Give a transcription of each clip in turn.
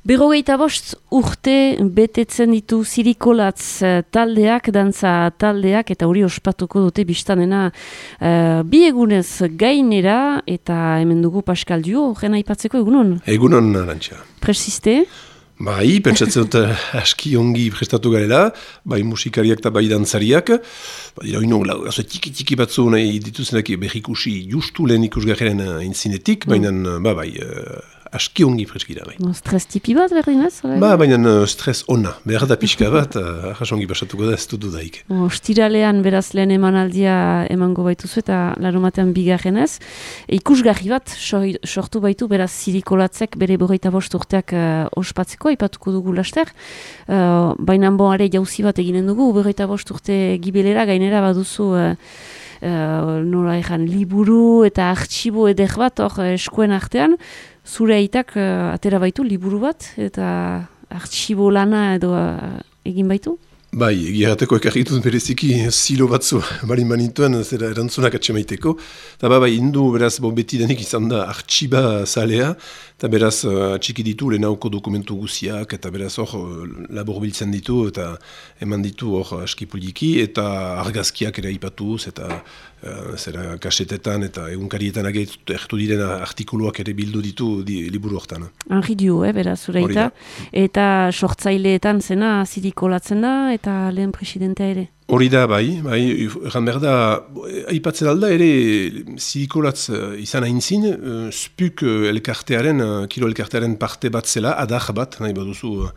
45 urte betetzen ditu Zirikolatz taldeak, dantza taldeak, eta hori ospatuko dute biztanena bi egunez gainera, eta hemen dugu Pascal Duo, horren aipatzeko egunon? Egunon, Arantxa. Presiste? Bai, pentsatzen dut aski ongi prestatu garela, bai musikariak eta bai dantzariak. Dira hori nogla, tiki batzu nahi dituzenak behikusi justu lehen ikusgarren intzinetik, baina bai, aski ongi preskira. Bai. Stres tipi bat berdinez? Baina stres ona, behar da pixka bat, ahas ongi pasatuko da ez dudu daik. Ostiralean beraz lehen emanaldia emango baituzu eta larumatean bigarrenez. Ikusgarri bat sortu baitu beraz Zirikolatzek bere 45 urteak ospatzeko, ipatuko dugu laster. Baina bonare jauzi bat eginen dugu, 45 urte gibelera gainera baduzu nola ezan liburu eta artxibo eder bat hor eskuen artean. Zure aitak atera baitu liburu bat eta artxibo lana edo egin baitu? Bai, egiarateko ekarrituz bereziki zilo batzu barin manituen zera erantzunak atxemaiteko. Eta bai, indu beraz betidanik izan da artxiba zalea, eta beraz atxiki ditu lehenauko dokumentu guziak, eta beraz hor labor biltzen ditu, eta eman ditu hor askipuliki, eta argazkiak ere aipatuz, eta zera kasetetan eta egunkarietan ertu diren artikuluak ere bildu ditu liburu hortan. Henri Dio, beraz, zureita. Eta sortzaileetan zena Zirikolatzen da, eta lehen presidentea ere. Hori da, bai, erran behar da, aipatzen alda ere Zirikolatz izan aintzin, spuk elkartearen, kilo elkartearen parte bat zela, adar bat, nahi baduzu,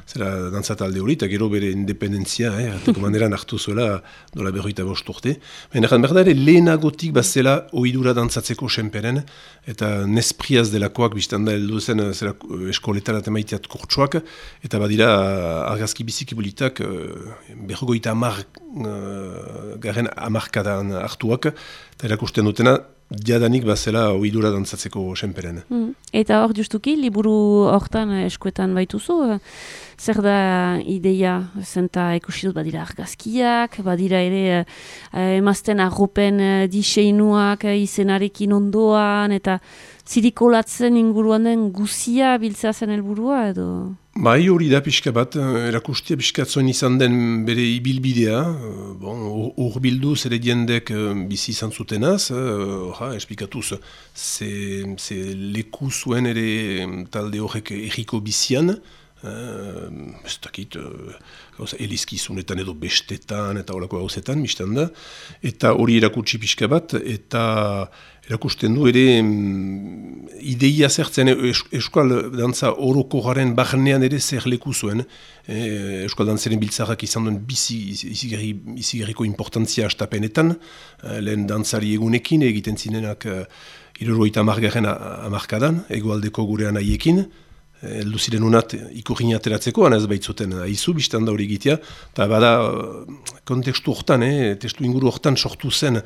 zera dantzatalde hori, eta gero bere independentzia, arteko maneran hartu zuela, dola 45 urte. Erran behar da ere lehenagotik bat zela ohidura dantzatzeko senperen, eta nespriaz delakoak biztan da heldu zen eskoletan atemaiteat kurtsuak, eta badira argazki biziki bolitak 50 garen amarkadan hartuak, eta erakusten dutena, jadanik bazela ohidura dantzatzeko senperen. Eta hor justuki, liburu hortan eskuetan baituzu, zer da ideia, zenta ikusi dut badira argazkiak, badira ere emazten arropen diseinuak izenarekin ondoan, eta Zirikolatzen inguruan den guzia biltzea zen helburua edo? Bai, hori da pixka bat, erakustia pixkatzoen izan den bere ibilbidea, urbildu zere jendek bizi izan zutenaz, esplikatuz, ze leku zuen ere talde horrek erriko bizian, ez dakit, elizkizunetan edo bestetan eta horako gauzetan, biztan da, eta hori erakutsi pixka bat, eta erakusten du ere ideia zertzen euskal dantza orokorraren barnean ere zer leku zuen. Euskal dantzaren biltzarrak izan duen izigarriko importantzia astapenetan, lehen dantzari egunekin egiten zinenak 70 hamarkadan, egoaldeko gurean haiekin, heldu ziren unat ikurrin ateratzeko, anaz baitzuten aizu, biztan da hori egitea, eta bada kontekstu hortan, testu inguru hortan sortu zen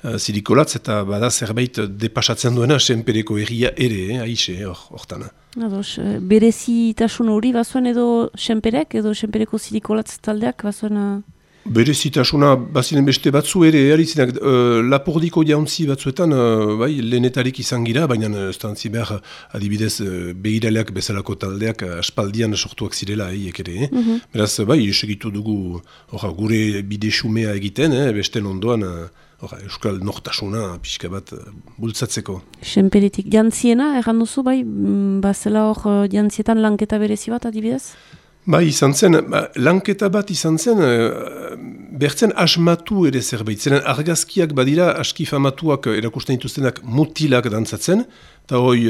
Zirikolatz, eta bada zerbait depasatzen duena senpereko erria ere, aixe hortan. Ados, berezitasun hori bazuen edo senperek, edo senpereko Zirikolatz taldeak bazuen? Berezitasuna bazinen beste batzu ere, eritzenak lapordiko jauntzi batzuetan, bai, lehenetarik izan gira, baina ez dantzi behar adibidez begiraleak bezalako taldeak aspaldian sortuak zirela eiek ere. Beraz, bai, segitu dugu gure bide xumea egiten, beste ondoan euskal nortasuna pixka bat bultzatzeko. Senperetik jantziena, erran duzu, bai, bazela hor jantzietan lanketa berezi bat adibidez? Bai, izan zen, lanketa bat izan zen, bertzen asmatu ere zerbait. Zeren argazkiak badira aski famatuak erakusten dituztenak mutilak dantzatzen, eta hoi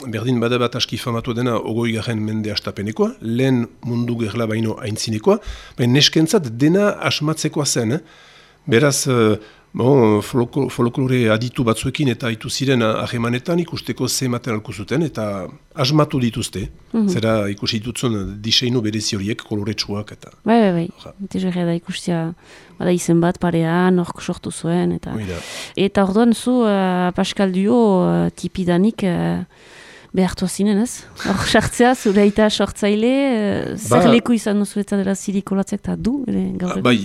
berdin bada bat aski famatu dena 20. mende astapenekoa, lehen mundu gerla baino aintzinekoa, baina neskentzat dena asmatzekoa zen. Beraz, folklore aditu batzuekin eta haitu ziren ahemanetan ikusteko ze ematen alko zuten eta asmatu dituzte. Zera ikusi ditutzen diseinu berezi horiek, koloretsuak eta... Bai. Tizerre da ikustia bada izen bat parean, hork sortu zuen. Eta orduan zu, Pascal Duo, tipidanik Behartua zinen, ez? Hor sartzea, zure aita sortzaile, zer leku izan duzu eta dela zirikolatzek eta du, gaur? Bai,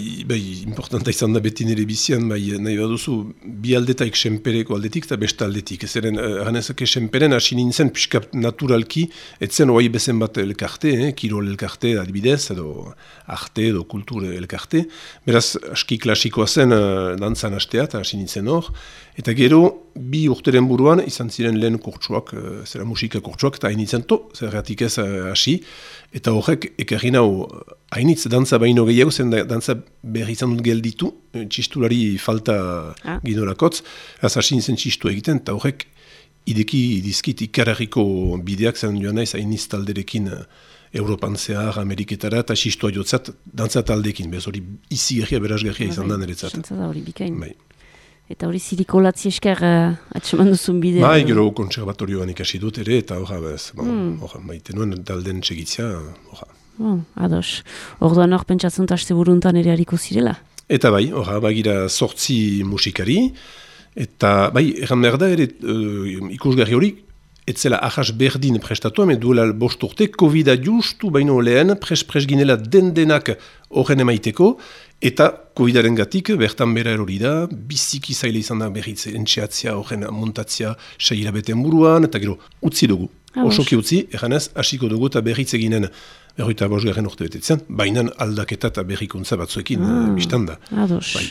importanta izan da beti nire bizian, nahi baduzu, bi aldetaik senpereko aldetik eta besta aldetik. Zeren, ganezake senperen hasi nintzen pixka naturalki, etzen oai bezen bat elkarte, kirol elkarte adibidez, edo arte, edo kultur elkarte. Beraz, aski klasikoa zen dantzan hastea, eta hasi nintzen hor. Eta gero, bi urteren buruan, izan ziren lehen kurtsuak, zera musika kurtsuak, eta hainitzen zergatik ez hasi. Eta horrek, ekarri nau, hainitz dantza baino gehiago, zen dantza berri izan dut gelditu, txistulari falta ginorakotz, hasi nintzen txistu egiten, eta horrek, ideki dizkit ikararriko bideak zen joan naiz, hainitz talderekin Europan zehar, Ameriketara, eta txistua jotzat, dantza taldeekin, bez hori izi gerria, berazgerria izan da niretzat. Xantza da hori bikain. Eta hori zirikolatzi esker atseman duzun bidea. Bai, gero konservatorioan ikasi dut ere, eta maite nuen talden txegitzia. Ados. Orduan hor pentsatzen taste buruntan ere hariko zirela? Eta bai, bagira 8 musikari, eta bai, erran behar da ere ikusgarri hori, etzela ahas berdin prestatua, duela 5 urte, COVID-a justu baino lehen, pres ginela den-denak horren emaiteko, eta COVID-aren gatik, bertan bera erori da, biziki zaila izan da berriz entxeatzia, horren montatzia, 6 hilabeten buruan, eta gero, utzi dugu. Osoki utzi, erranez, hasiko dugu eta berriz eginen, 25. urte betetzen, baina aldaketa eta berrikuntza batzuekin biztan da. Ados. Bai.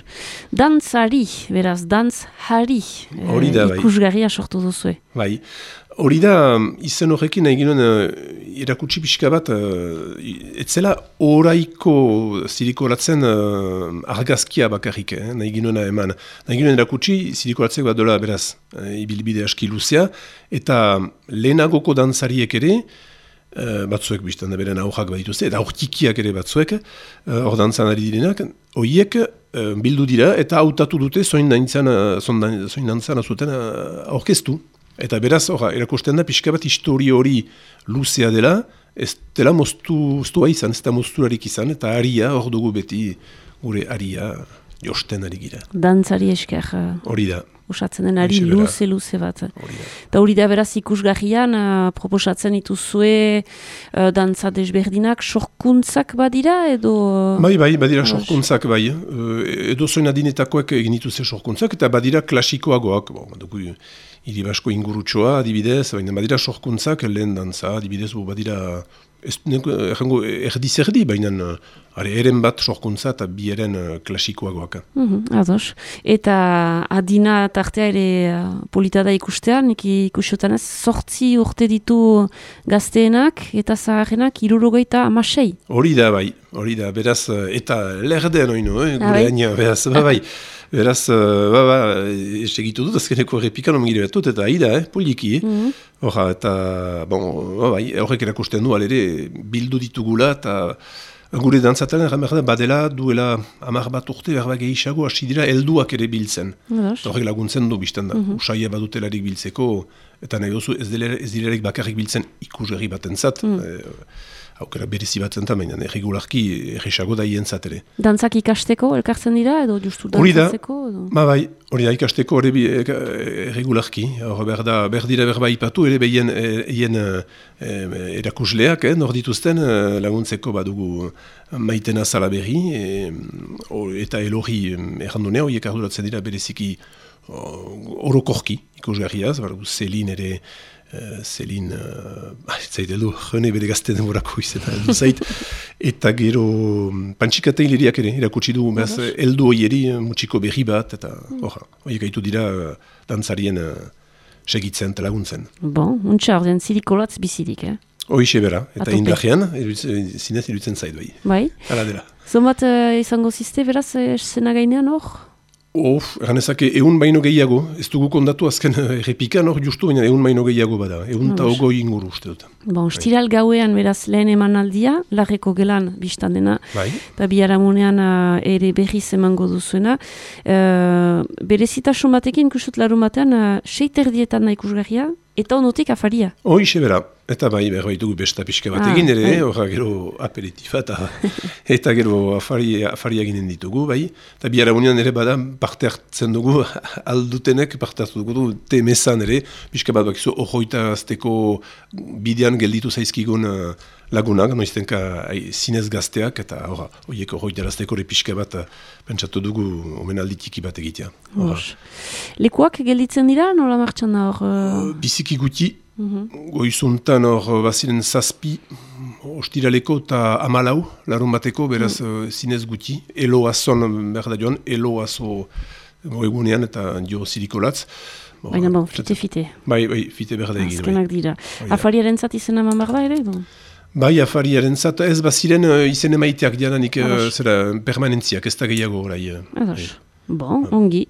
Dantzari, beraz, dantzari, ikusgarria sortu duzue. Bai. Hori da, izen horrekin nahi ginen erakutsi pixka bat, etzela oraiko zirikolatzen argazkia bakarrik, nahi ginen eman. Nahi ginen erakutsi zirikolatzek bat dola beraz, ibilbide aski luzea, eta lehenagoko dantzariek ere, batzuek biztan da beren aurrak badituzte, eta aurtikiak ere batzuek, hor dantzan ari direnak, horiek bildu dira, eta hautatu dute zoin dantzan azuten aurkeztu. Eta beraz, erakusten da, pixka bat histori hori luzea dela, ez dela moztua izan, ez da mozturarik izan, eta aria, hor dugu beti, gure aria josten ari gira. Dantzari esker. Hori da. Usatzen den ari luze bat. Eta hori da beraz ikusgarrian, proposatzen dituzue dantza desberdinak, sorkuntzak badira edo... Bai, badira sorkuntzak bai. Edo zoin adinetakoek egin dituzte sorkuntzak, eta badira klasikoagoak. Hiri basko ingurutxoa, adibidez, baina badira sorkuntzak, lehen dantza, adibidez, badira, erdi-zerdi, baina eren bat sorkuntza eta bi eren klasikoagoak. Ados. Eta adina tartea ere polita da ikustean, ikusiotan ez, 8 urte ditu gazteenak eta zaharrenak 76. Hori da, bai. Hori da, beraz, eta lerdean oino, gure aina, beraz, bai. Beraz, segitu dut, azkeneko errepikan omgire batut, eta aida, poliki, eta, horrek erakusten du, alere, bildu ditugula, eta gure dantzataren erran badela, duela 10 bat urte, berba gehiago, hasi dira, helduak ere biltzen. Horrek laguntzen du, biztan da, usaia badutelarik biltzeko, eta nahi dozu, ez dilerek bakarrik biltzen ikusgarri batentzat, aukera berezi bat zentan, baina erregularki erresago da hientzat ere. Dantzak ikasteko elkartzen dira edo justu dantzatzeko? Hori da ikasteko erregularki. Berdira berba ipatu ere behien erakusleak, nor dituzten laguntzeko badugu Maitena Salaberri eta Elorri errandunea, horiek arduratzen dira bereziki orokorki ikusgarriaz, Zelin ere Zelin, zait edo, jone bere gazte denborako izan zait, eta gero pantxikata hileriak ere, erakutsi du, eldu hoieri mutxiko berri bat, eta horiek gaitu dira dantzarien segitzen eta laguntzen. Bon, untxa ordean zirikolatz bizirik, Hoixe bera, eta indajean, zinez iruditzen zait bai. Bai? Hala dela. Zomat izango ziste, beraz, zena gainean hor? Ganezake, egun baino gehiago, ez dugu kondatu azken errepikan hor justu, baina egun baino gehiago bada, egun eta ogoi inguru uste dut. Bon, stiral gauean beraz lehen emanaldia, larreko gelan biztan dena, eta biharamunean ere berriz emango duzuena. Berezitasun batekin, kusut larumatean, 6:30 ikusgarria, eta onotik afaria. Hoixe bera, eta berbaitugu besta pixka bat egin ere, horra gero aperitifa eta gero afaria ginen ditugu, eta biharamunean ere bada parte hartzen dugu, aldutenek parte hartu dugu, temezan ere, pixka bat bakizu horroita azteko bidean gelditu zaizkigun lagunak, noiztenka zinez gazteak, eta horiek horroitarazteko pixka bat pentsatu dugu omenalditiki bat egitea. Lekuak gelditzen dira, nola martxan da hor? Biziki guti, goizuntan hor baziren 7, ostiraleko eta 14, larun bateko, beraz zinez guti, elo azon behar da joan, elo azo egunean eta jo zirikolatz. Baina bon, fite. Bai, fite behar da egin. Azkenak dira. Afariaren zat izena eman behar da ere? Bai, afariaren zat, ez baziren izen emaiteak diananik permanentziak, ez da gehiago orai. Bon, ongi.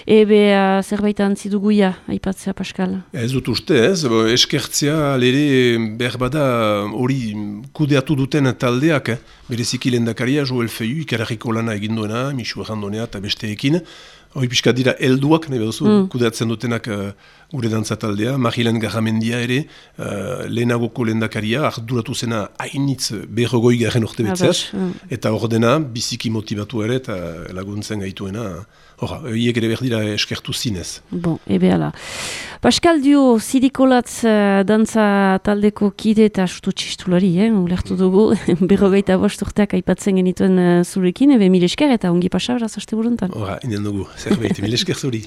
Ebe zerbait antzi duguia, aipatzea, Pascal? Ez dut uste, eskertzea lere behar bada hori kudeatu duten taldeak, bereziki lehendakaria, Joel Feiu, ikararriko lana eginduena, Michu Errandonea eta besteekin. Hoi pixka dira helduak, nahi beduzu, kudeatzen dutenak gure dantza taldea, Marilen Garramendia ere, lehenagoko lehendakaria, arduratu zena hainitz berrogoi garen urte betzeaz, eta ordena biziki motibatu ere, eta laguntzen gaituena, hiek ere behar dira eskertu zinez. Bon, ebe ala. Pascal Dio, zirikolatz dantza taldeko kide eta astu txistulari, ulertu dugu, berrogeita bost urteak aipatzen genituen zurekin, ebe mil esker eta ongi pasa, beraz, aste buruntan. Inen dugu, zerbait, mil esker zuri.